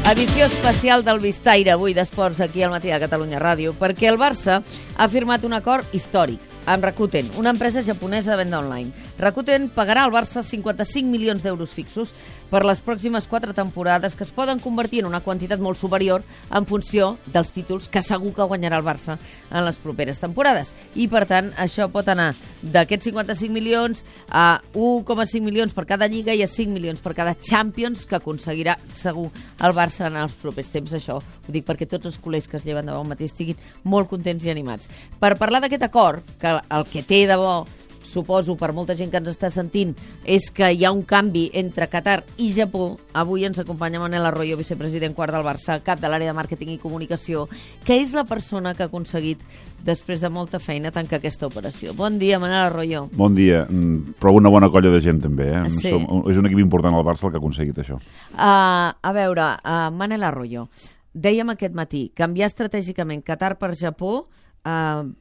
Edició especial del Vistaire, avui d'esports, aquí al Matí de Catalunya Ràdio, perquè el Barça ha firmat un acord històric amb Rakuten, una empresa japonesa de venda online. Rakuten pagarà al Barça 55 milions d'euros fixos per les pròximes 4 temporades, que es poden convertir en una quantitat molt superior en funció dels títols que segur que guanyarà el Barça en les properes temporades. I, per tant, això pot anar d'aquests 55 milions a 1,5 milions per cada Lliga i a 5 milions per cada Champions que aconseguirà segur el Barça en els propers temps. Això ho dic perquè tots els culers que es lleven de bon matí estiguin molt contents i animats. Per parlar d'aquest acord, que el que té de bo, suposo, per molta gent que ens està sentint, és que hi ha un canvi entre Qatar i Japó. Avui ens acompanya Manel Arroyo, vicepresident quart del Barça, cap de l'àrea de màrqueting i comunicació, que és la persona que ha aconseguit, després de molta feina, tancar aquesta operació. Bon dia, Manel Arroyo. Bon dia, però una bona colla de gent també. Sí. És un equip important al Barça el que ha aconseguit això. A veure, Manel Arroyo, dèiem aquest matí, canviar estratègicament Qatar per Japó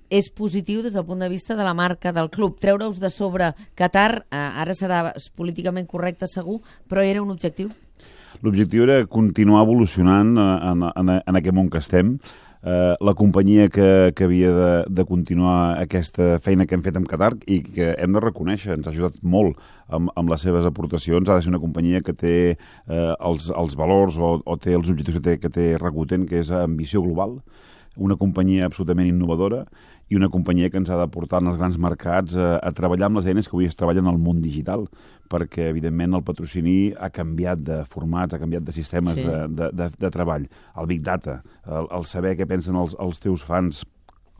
és positiu des del punt de vista de la marca del club. Treure-us de sobre Qatar, ara serà políticament correcte segur, però era un objectiu? L'objectiu era continuar evolucionant en aquest món que estem. La companyia que havia de continuar aquesta feina que hem fet amb Qatar i que hem de reconèixer, ens ha ajudat molt amb les seves aportacions. Ha de ser una companyia que té els valors o té els objectius que té Rakuten, que és ambició global, una companyia absolutament innovadora i una companyia que ens ha de portar en els grans mercats a treballar amb les eines que avui es treballen al món digital, perquè, evidentment, el patrocini ha canviat de formats, ha canviat de sistemes de treball. El Big Data, el saber què pensen els teus fans,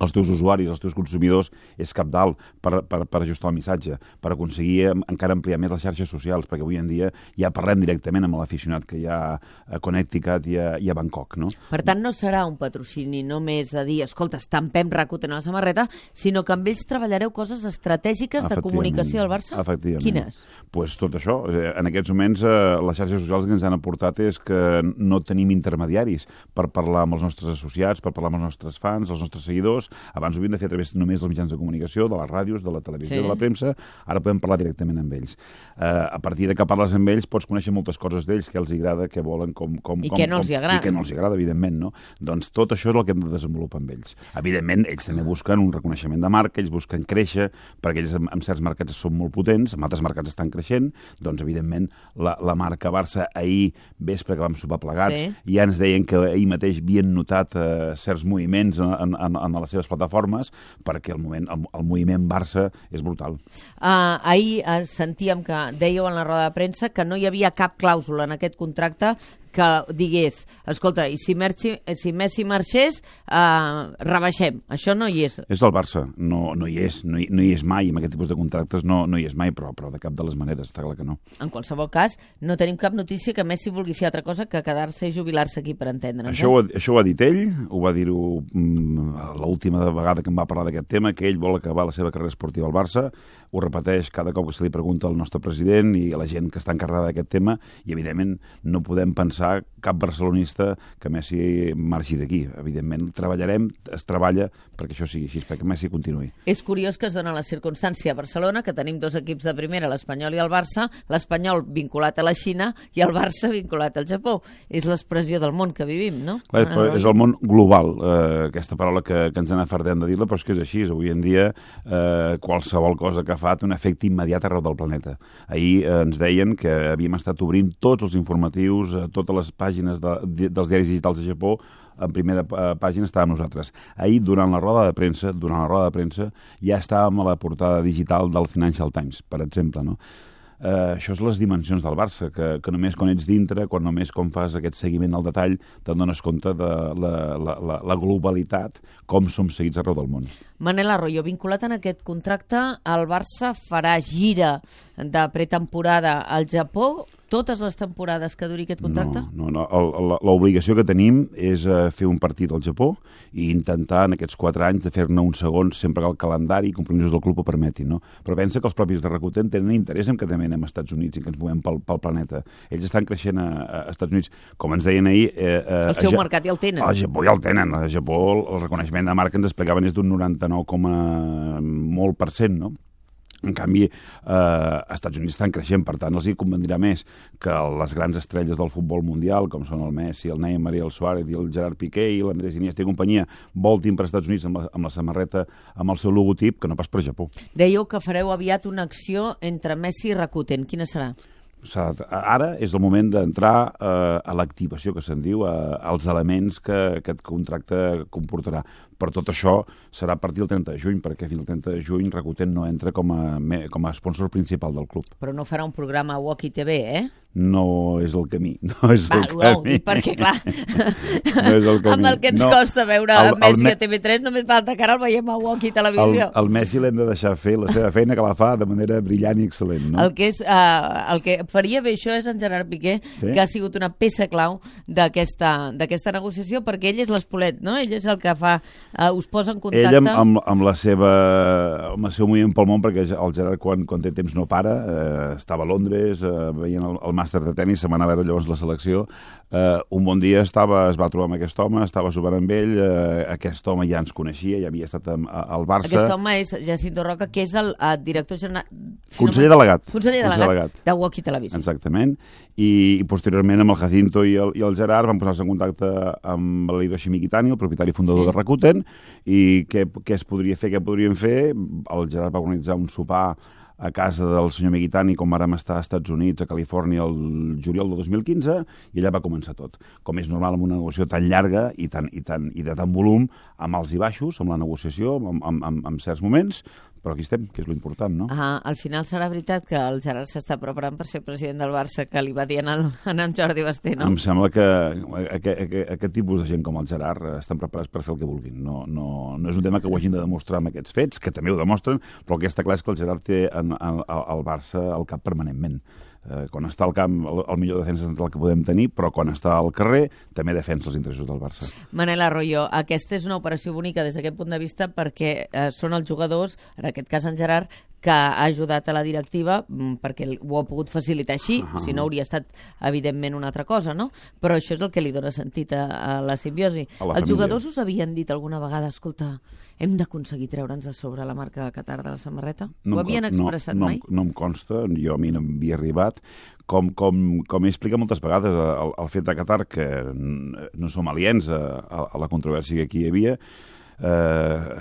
els teus usuaris, els teus consumidors, és cabdal per ajustar el missatge, per aconseguir encara ampliar més les xarxes socials, perquè avui en dia ja parlem directament amb l'aficionat que hi ha a Connecticut i a Bangkok, no? Per tant, no serà un patrocini només de dir, escolta, estampem Rakuten a la samarreta, sinó que amb ells treballareu coses estratègiques de comunicació del Barça? Efectivament. Quines? Pues tot això. En aquests moments, les xarxes socials que ens han aportat és que no tenim intermediaris per parlar amb els nostres associats, per parlar amb els nostres fans, els nostres seguidors. Abans ho havíem de fer a través només dels mitjans de comunicació, de les ràdios, de la televisió, de la premsa. Ara podem parlar directament amb ells. A partir de que parles amb ells pots conèixer moltes coses d'ells, què els agrada, què volen, I què no els agrada. I què no els agrada, evidentment, no? Doncs tot això és el que hem de desenvolupar amb ells. Evidentment, ells també busquen un reconeixement de marca, ells busquen créixer, perquè ells en certs mercats són molt potents, en altres mercats estan creixent, doncs, evidentment, la marca Barça ahir vespre que vam sopar plegats, ja ens deien que ahir mateix havien notat certs moviments en les seves plataformes, perquè el moviment Barça és brutal. Ahir sentíem que dèieu en la roda de premsa que no hi havia cap clàusula en aquest contracte que digués, escolta, i si Messi marxés, rebaixem. Això no hi és. És del Barça, no hi és. No hi és mai, amb aquest tipus de contractes no hi és mai, però de cap de les maneres, està clar que no. En qualsevol cas, no tenim cap notícia que Messi vulgui fer altra cosa que quedar-se i jubilar-se aquí, per entendre'ns. Això ho ha dit ell, ho va dir-ho l'última vegada que em va parlar d'aquest tema, que ell vol acabar la seva carrera esportiva al Barça, ho repeteix cada cop que se li pregunta al nostre president i a la gent que està encarregada d'aquest tema, i evidentment no podem pensar cap barcelonista que Messi marxi d'aquí. Evidentment, es treballa perquè això sigui així, perquè Messi continuï. És curiós que es dona la circumstància a Barcelona, que tenim 2 equips de primera, l'Espanyol i el Barça, l'Espanyol vinculat a la Xina i el Barça vinculat al Japó. És l'expressió del món que vivim, no? Clar, és el món global, aquesta paraula que ens n'afardem de dir-la, però és que és així. Avui en dia, qualsevol cosa que fa té un efecte immediat arreu del planeta. Ahir ens deien que havíem estat obrint tots els informatius, totes les pàgines dels diaris digitals de Japó, en primera pàgina estàvem nosaltres. Ahir, durant la roda de premsa, ja estàvem a la portada digital del Financial Times, per exemple, no? Això és les dimensions del Barça, que només quan ets dintre, només quan fas aquest seguiment al detall, te'n dones compte de la globalitat, com som seguits arreu del món. Manel Arroyo, vinculat en aquest contracte, el Barça farà gira de pretemporada al Japó totes les temporades que duri aquest contracte? No. L'obligació que tenim és fer un partit al Japó i intentar en aquests 4 anys de fer-ne un segon sempre que el calendari i compromisos del club ho permetin, no? Però pensa que els propis de Rakuten tenen interès en que també anem a Estats Units i que ens movem pel planeta. Ells estan creixent a Estats Units. Com ens deien ahir... El seu mercat ja el tenen. Al Japó ja el tenen. Al Japó el reconeixement de marca ens explicaven és d'un 99, molt %, no? En canvi, als Estats Units estan creixent, per tant, els hi convendrà més que les grans estrelles del futbol mundial, com són el Messi, el Neymar i el Suárez i el Gerard Piqué i l'Andrés Iniesta i companyia, voltin per Estats Units amb la samarreta amb el seu logotip, que no pas per Japó. Dèieu que fareu aviat una acció entre Messi i Rakuten. Quina serà? Ara és el moment d'entrar a l'activació, que se'n diu, als elements que aquest contracte comportarà. Per tot això serà a partir del 30 de juny, perquè fins al 30 de juny Rakuten no entra com a sponsor principal del club. Però no farà un programa a Walkie TV, eh? No és el camí, no és el camí. Perquè, clar, no és el camí. Amb el que ens costa veure Messi a TV3, només falta que ara el veiem a Walkie Televisió. El Messi l'hem de deixar fer la seva feina, que la fa de manera brillant i excel·lent, no? El que faria bé això és en Gerard Piqué, que ha sigut una peça clau d'aquesta negociació, perquè ell és l'espolet, no? Ell és el que fa... us posa en contacte... Ell amb el seu moviment pel món, perquè el Gerard quan té temps no para, estava a Londres veient el màster de tennis, se m'anava a veure llavors la selecció. Un bon dia es va trobar amb aquest home, estava sopant amb ell, aquest home ja ens coneixia, ja havia estat al Barça. Aquest home és Jacinto Roca, que és el director general... Conseller delegat. Conseller delegat de Walkie Televisió. Exactament. I posteriorment amb el Jacinto i el Gerard van posar-se en contacte amb l'Hiroshi Mikitani, el propietari fundador de Rakuten, i què es podria fer, què podríem fer. El Gerard va organitzar un sopar a casa del senyor Mikitani, com vàrem estar als Estats Units, a Califòrnia, el juliol del 2015, i allà va començar tot. Com és normal amb una negociació tan llarga i de tant volum, amb alts i baixos, amb la negociació, amb certs moments, però aquí estem, que és l'important, no? Al final serà veritat que el Gerard s'està preparant per ser president del Barça, que li va dir en Jordi Basté, no? Em sembla que aquest tipus de gent com el Gerard estan preparats per fer el que vulguin. No és un tema que ho hagin de demostrar amb aquests fets, que també ho demostren, però el que està clar és que el Gerard té al Barça al cap permanentment. Quan està al camp, el millor defensa central que podem tenir, però quan està al carrer també defensa els interessos del Barça. Manel Arroyo, aquesta és una operació bonica des d'aquest punt de vista perquè són els jugadors, en aquest cas en Gerard, que ha ajudat a la directiva perquè ho ha pogut facilitar així, si no hauria estat evidentment una altra cosa, no? Però això és el que li dona sentit a la simbiosi. Els jugadors us havien dit alguna vegada, escolta, hem d'aconseguir treure'ns de sobre la marca Qatar de la samarreta? Ho havien expressat mai? No em consta, jo a mi no m'havia arribat. Com he explicat moltes vegades, el fet de Qatar, que no som aliens a la controvèrsia que aquí hi havia,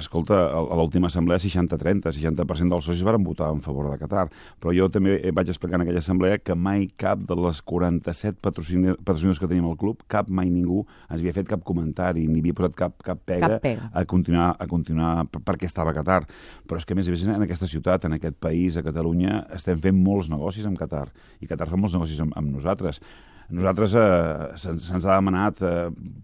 escolta, a l'última assemblea 60% dels socis van votar en favor de Qatar, però jo també vaig explicar en aquella assemblea que mai cap de les 47 patrocinadors que tenim al club, mai ningú ens havia fet cap comentari, ni havia posat cap pega a continuar perquè estava a Qatar. Però és que a més en aquesta ciutat, en aquest país, a Catalunya, estem fent molts negocis amb Qatar, i Qatar fa molts negocis amb nosaltres. Nosaltres se'ns ha demanat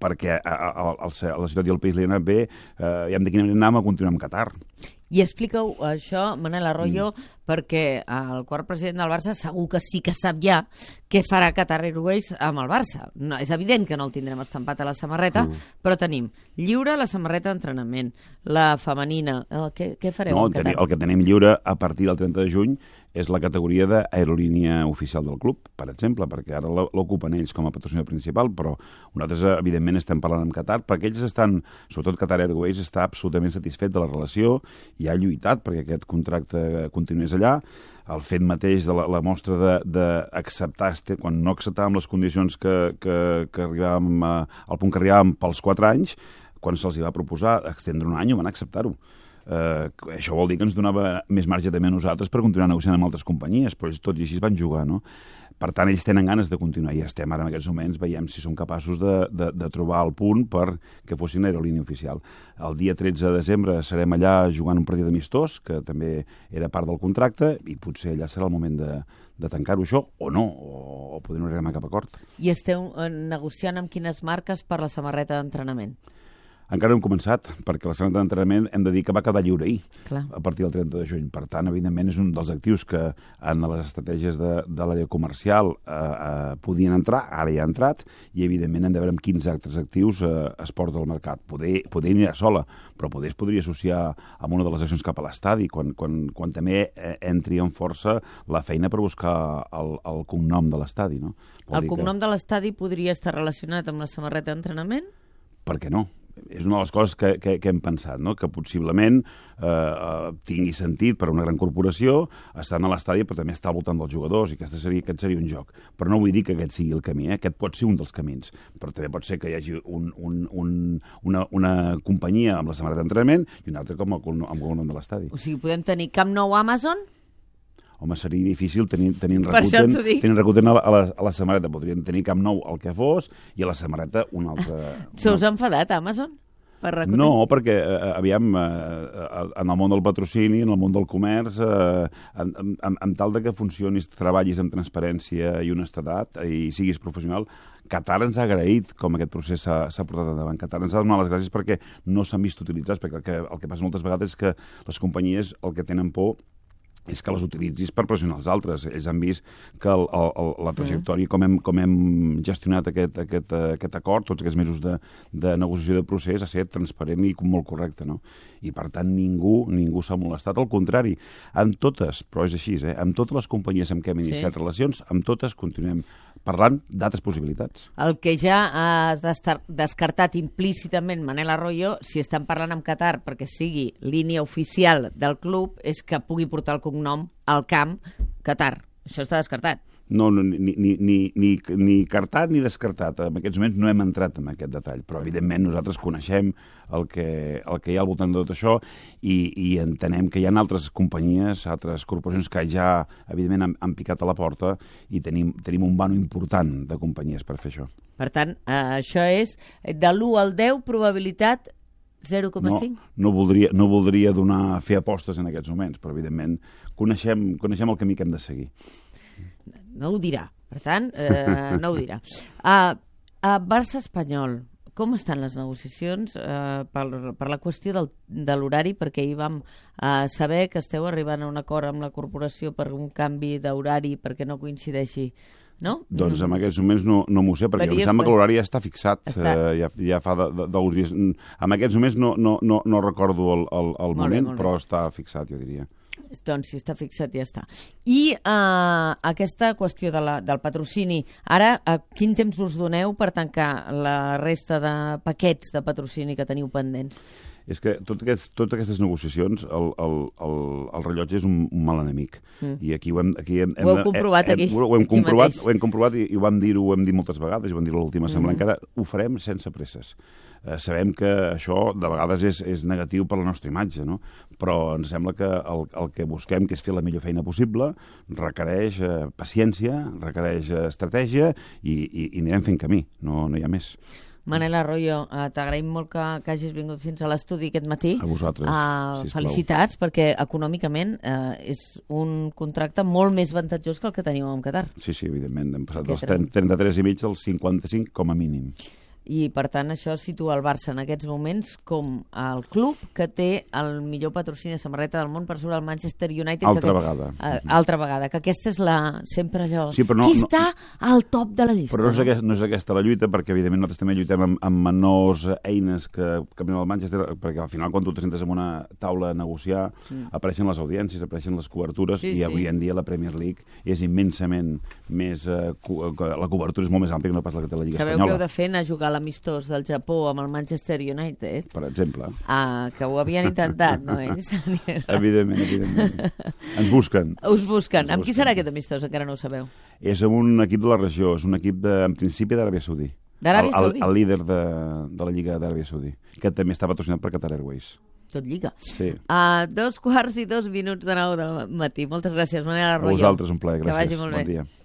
perquè a la ciutat i al país li ha anat bé i de quina manera anàvem a continuar amb Qatar. I explica-ho, això, Manel Arroyo, perquè el quart president del Barça segur que sí que sap ja què farà Qatar Airways amb el Barça. No, és evident que no el tindrem estampat a la samarreta, però tenim lliure la samarreta d'entrenament, la femenina. Què fareu amb Qatar? El que tenim lliure a partir del 30 de juny és la categoria d'aerolínia oficial del club, per exemple, perquè ara l'ocupen ells com a patrocinador principal, però nosaltres, evidentment, estem parlant amb Qatar, perquè ells estan, sobretot Qatar Airways, està absolutament satisfet de la relació i ha lluitat perquè aquest contracte continués allà. El fet mateix de la mostra d'acceptar, quan no acceptàvem les condicions que arribàvem al punt que arribàvem pels 4 anys, quan se'ls va proposar extendre un any, van acceptar-ho. Això vol dir que ens donava més marge també a nosaltres per continuar negociant amb altres companyies, però tots i així van jugar, no? Per tant, ells tenen ganes de continuar i estem ara en aquests moments, veiem si som capaços de trobar el punt perquè fossin aerolínia oficial. El dia 13 de desembre serem allà jugant un partit amistós, que també era part del contracte, i potser allà serà el moment de tancar-ho això, o no, o poder no arribar a cap acord. I esteu negociant amb quines marques per la samarreta d'entrenament? Encara no hem començat, perquè la samarreta d'entrenament hem de dir que va quedar lliure ahir, a partir del 30 de juny. Per tant, evidentment, és un dels actius que en les estratègies de l'àrea comercial podien entrar, ara ja ha entrat, i evidentment hem de veure amb quins altres actius es porta al mercat. Poder anirà sola, però poder es podria associar amb una de les accions cap a l'estadi, quan també entri en força la feina per buscar el cognom de l'estadi. No? El cognom de l'estadi podria estar relacionat amb la samarreta d'entrenament? Per què no? és una de les coses que hem pensat, no? Que possiblement tingui sentit per a una gran corporació estar a l'estadi, però també estar al voltant dels jugadors, i aquest seria un joc. Però no vull dir que aquest sigui el camí, aquest pot ser un dels camins, però també pot ser que hi hagi una companyia amb la samarreta d'entrenament i una altra com el nom de l'estadi. O sigui, podem tenir Camp Nou Amazon? Home, seria difícil tenint Rakuten a la samarreta. Podríem tenir Camp Nou el que fos i a la samarreta un altre... Se us ha enfadat, Amazon? Per Rakuten? No, perquè, aviam, en el món del patrocini, en el món del comerç, amb tal de que funcionis, treballis amb transparència i honestedat i siguis professional, Qatar ens ha agraït com aquest procés s'ha portat endavant. Qatar ens ha donat les gràcies perquè no s'han vist utilitzats, perquè el que passa moltes vegades és que les companyies el que tenen por és que les utilitzis per pressionar els altres. Ells han vist que la trajectòria, com hem gestionat aquest acord, tots aquests mesos de negociació de procés, ha estat transparent i molt correcte, no? I, per tant, ningú s'ha molestat. Al contrari, amb totes, però és així, amb totes les companyies amb què hem iniciat relacions, amb totes continuem parlant d'altres possibilitats. El que ja has descartat implícitament, Manel Arroyo, si estan parlant amb Qatar perquè sigui línia oficial del club, és que pugui portar el cognom al camp Qatar. Això està descartat. No, ni cartat ni descartat. En aquests moments no hem entrat en aquest detall, però evidentment nosaltres coneixem el que hi ha al voltant de tot això i entenem que hi ha altres companyies, altres corporacions que ja, evidentment, han picat a la porta i tenim un vano important de companyies per fer això. Per tant, això és de l'1 al 10, probabilitat 0,5? No voldria fer apostes en aquests moments, però evidentment coneixem el camí que hem de seguir. No ho dirà, per tant, no ho dirà. Barça-Espanyol, com estan les negociacions per la qüestió de l'horari? Perquè ahir vam saber que esteu arribant a un acord amb la corporació per un canvi d'horari perquè no coincideixi, no? Doncs en aquests moments no m'ho sé, perquè em sembla que l'horari ja està fixat, ja fa d'uns dies. En aquests moments no recordo el moment, però està fixat, jo diria. Doncs si està fixat ja està. I aquesta qüestió del patrocini, ara quin temps us doneu per tancar la resta de paquets de patrocini que teniu pendents? És que totes aquestes negociacions, el rellotge és un mal enemic. I aquí ho hem comprovat aquí. Ho hem comprovat i ho hem dit moltes vegades, i ho vam dir a l'última assemblea, encara ho farem sense presses. Sabem que això de vegades és negatiu per la nostra imatge, no? Però ens sembla que el que busquem, que és fer la millor feina possible, requereix paciència, requereix estratègia i anirem fent camí, no hi ha més. Manel Arroyo, t'agraïm molt que hagis vingut fins a l'estudi aquest matí. A vosaltres, sisplau. Felicitats, perquè econòmicament és un contracte molt més avantatjós que el que teniu amb Qatar. Sí, evidentment. Hem passat dels 33,5 als 55 com a mínim. I, per tant, això situa el Barça en aquests moments com el club que té el millor patrocini de samarreta del món per sobre el Manchester United. Altra vegada. Altra vegada, que aquesta és sempre allò... Sí, qui està al top de la llista? Però no és aquesta la lluita, perquè evidentment nosaltres també lluitem amb menors eines que el Manchester, perquè al final quan tu te sentes en una taula a negociar apareixen les audiències, apareixen les cobertures, i avui en dia la Premier League és immensament més... la cobertura és molt més àmplia que no pas la que té la Lliga Espanyola. Sabeu que heu de fer anar a jugar l'amistós del Japó amb el Manchester United? Per exemple. Que ho havien intentat, no ells? Evidentment. Ens busquen. Us busquen. Amb qui serà aquest amistós? Encara no ho sabeu. És amb un equip de la regió, és un equip, en principi, d'Aràbia Saudí. D'Aràbia Saudí? El líder de la Lliga d'Aràbia Saudí, que també està patrocinat per Qatar Airways. Tot lliga. Sí. 2:02 del matí. Moltes gràcies, Manel Arroyo. A vosaltres, un plaer. Gràcies. Que vagi molt bé. Bon dia.